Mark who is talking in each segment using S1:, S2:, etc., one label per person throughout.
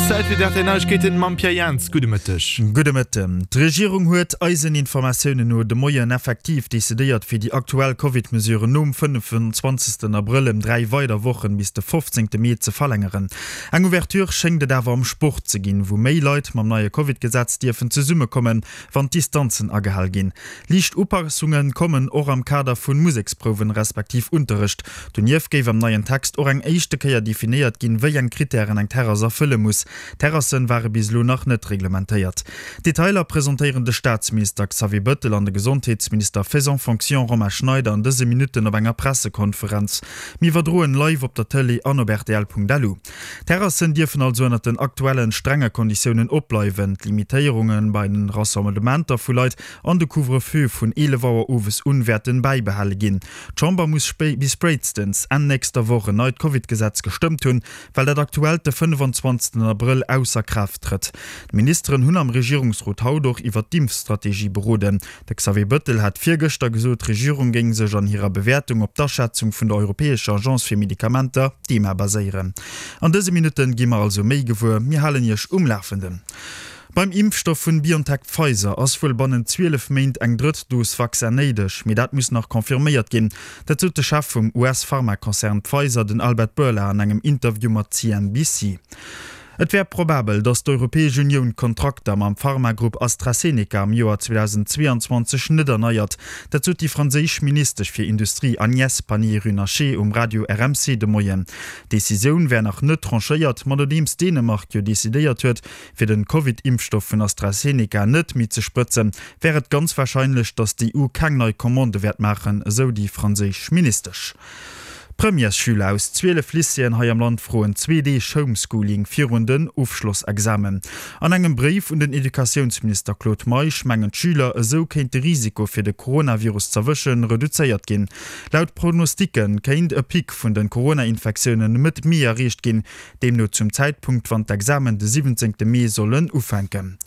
S1: Zäit fir d'RTL Neiegkeeten mam Pierre Jans. Gudde Mëtteg.
S2: Gudde Mëtten. D'Regierung huet eisen Informatiounen no de Moien effektiv decidéiert, fir déi aktuell Covid-Mesuren nom 25. Abrëll ëm 3 weider Wochen, bis de 15. Mee, ze verlängeren. Eng Ouverture schéngt et awer am Sport ze ginn, wou méi Leit mam neie Covid-Gesetz dierfen zesummekommen, wann d'Distanzen agehal ginn. Liicht Upassunge kommen och am Kader vu Museksprouwen respektiv Unterrecht. Donieft géif am neien Text och eng éischte Kéier definéiert ginn, wéi eng Krittären eng Terrass erfëlle muss. Terrassen ware bis elo nach net reglementéiert. Detailer presentéieren de Staatsminister Xavier Bëttel an de Gesondheetsminister faisant fonction Romain Schneider an dëse Minutten op enger Pressekonferenz. Mir iwwerdroen live op der Tëlee an op rtl.lu. D'Terrassen dierfen also ënnert den aktuellen strenge Konditiounen opbleiwen. D'Limitéierunge bei den Rassemblementer vu Leit an de Couvre-feu vun 11 Auer owes un wäerten bäibehale ginn. D'Chamber muss bis spéitstens Enn nächster Woch en neit Covid-Gesetz gestëmmt hunn, well dat aktuellt de 25 Abrëll ausser Kraaft trëtt. D'Ministeren hunn am Regierungsrot haut och iwwer d'Impfstrategie beroden. De Xavier Bëttel hat virgëschter gesot, d'Regierung géing sech an hirer Bewäertung op d'Aschätzung vun der Europäescher Agence fir Medikamenter, d'EMA, baséieren. An dëse Minutte gi mer also méi gewuer. Mir halen Iech um Lafenden. Beim Impfstoff vun BioNTech-Pfizer ass wuel bannent 12 Méint eng drëtt Dos Vaccin néideg, mee dat muss nach confirméiert ginn. Dat sot de Chef vum US-Pharmakonzern Pfizer, den Albert Bourla, an engem Interview mat CNBC. Et wär probabel, datt d'Europäesch Unioun d'Kontrakter mam Pharmagrupp AstraZeneca am Joer 2022 net erneiert. Dat sot déi franséisch Ministesch fir Industrie Agnès Pannier-Runacher um Radio RMC de Moien. D'Decisioun wär nach net tranchéiert, ma nodeems Dänemark jo decidéiert huet, fir den Covid-Impfstoff vun AstraZeneca net méi ze sprëtzen, wär et ganz warscheinlech, datt d'EU keng nei Commandë wäert maachen, esou déi franséisch Ministesch. Premièresschüler aus 12 Lycéeën hei am Land froen zwee Deeg Homeschooling virun den Ofschlossexamen. An engem Bréif un den Educatiounsminister Claude Meisch mengen d'Schüler, esou kéint de Risiko fir de Coronavirus z'erwëschen reduzéiert ginn. Laut Prognosticke kéint e Pic vun de Corona-Infektiounen Mëtt Mee erreecht ginn, deemno zum Zäitpunkt wann d'Examen de 17 Mee sollen ufänken.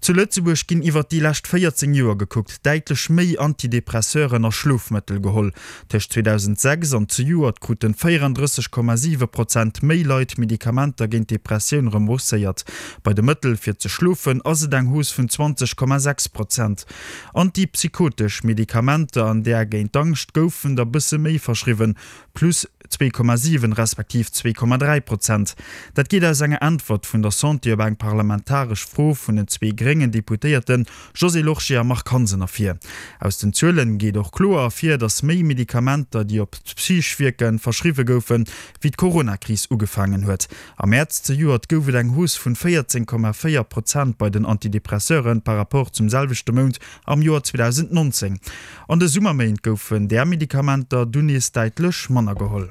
S2: Zu Lëtzebuerg ginn iwwert déi lescht 14 Joer gekuckt däitlech méi Antidepresseuren a Schlofmëttel geholl. Tëscht 2006 an zejoert kruten 34,7 Prozent méi Leit Medikamenter géint Depressioun rembourséiert. Bei de Mëttel fir ze schlofen ass et eng Hausse vun 20,6 Prozent. Antipsychotesch Medikamenter an där géint d'Angscht goufen der bësse méi verschriwwen, plus 2,7 respektiv 2,3 Prozent. Dat geet aus enger Äntwert vun der Santé op eng parlamentaresch Fro vun den zwee gréngen Deputéierte Josée Lorsché a Marc Hansen ervir. Aus den Zuelen geet och kloer ervir, datt méi Medikamenter, déi op d'Psych wierken, verschriwwe goufen, wéi d'Coronakris ugefaangen huet. Am Mäerz zejoert gouf et eng Hausse vun 14,4 Prozent bei den Antidepresseuren par rapport zum selwechte Mount am Joer 2019. An de Summerméint goufen där Medikamenter dunn nees däitlech manner geholl.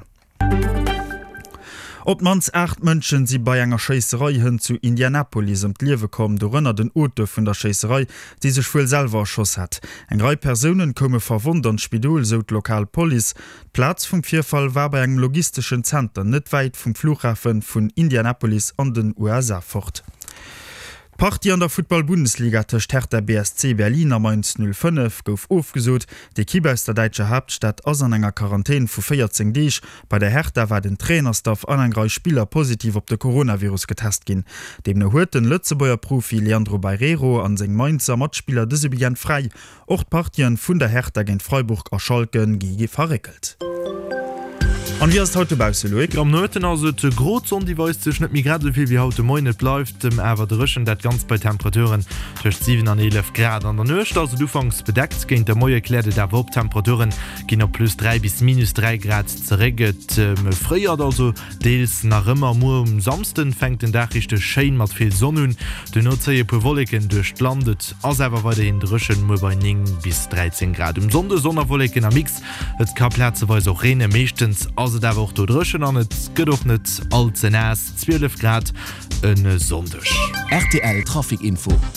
S2: Op d'mannst 8 Mënschen si bei enger Schéisserei hënt zu Indianapolis ëm d'Liewe komm, dorënner den Auteur vun der Schéisserei, dee sech wuel selwer erschoss hat. Eng Rei Persounen koume verwonnt an d'Spidol, sou d'lokal Police. D'Plaz vum Virfall war bei engem logisteschen Zenter net wäit vum Flughafe vun Indianapolis an den USA fort. D'Partie an der Futtball-Bundesliga tëscht Hertha BSC Berlin a Mainz 05 gouf ofgesot. D'Ekipp aus der däitscher Haaptstad ass an enger Quarantän vu 14 Deeg. Bei der Hertha war den Trainerstaff an eng Rei Spiller positiv op de Coronavirus getest ginn. Deemno huet den Lëtzebuerger Profi Leandro Barreiro an seng Mainzer Matspiller dëse Weekend fräi. Och d'Partien vun der Hertha géint Freiburg a Schalke gi verréckelt. An wéi ass et haut dobausse, Loïc?
S1: Am Nomëtten ass et gro, d'Sonn déi weist sech net méi grad esou vill wéi haut de Moien. Et bleift awer dréchen, dat Ganzt bei Temperaturen tëscht 7 an 11 Grad. An der Nuecht ass et ufanks bedeckt, géint de Moie kläert et awer op, d'Temperature ginn op plus 3 bis minus 3 Grad zeréck. Et fréiert also Deels nach ëmmer. Muer um Samsden fänkt den Dag richteg schéin mat vill Sonn un, duerno zéie puer Wolleken duerch d'Land. Et ass awer weiderhin dréchen, muer bei 9 bis 13 Grad. Um Sonnde Sonn a Wolleken am Mix, et ka plazeweis och reene, meeschtens ass et awer och do dréchen an et gëtt och net all ze naass, 12 Grad e Sonndeg.
S3: Rtl Trafic Info.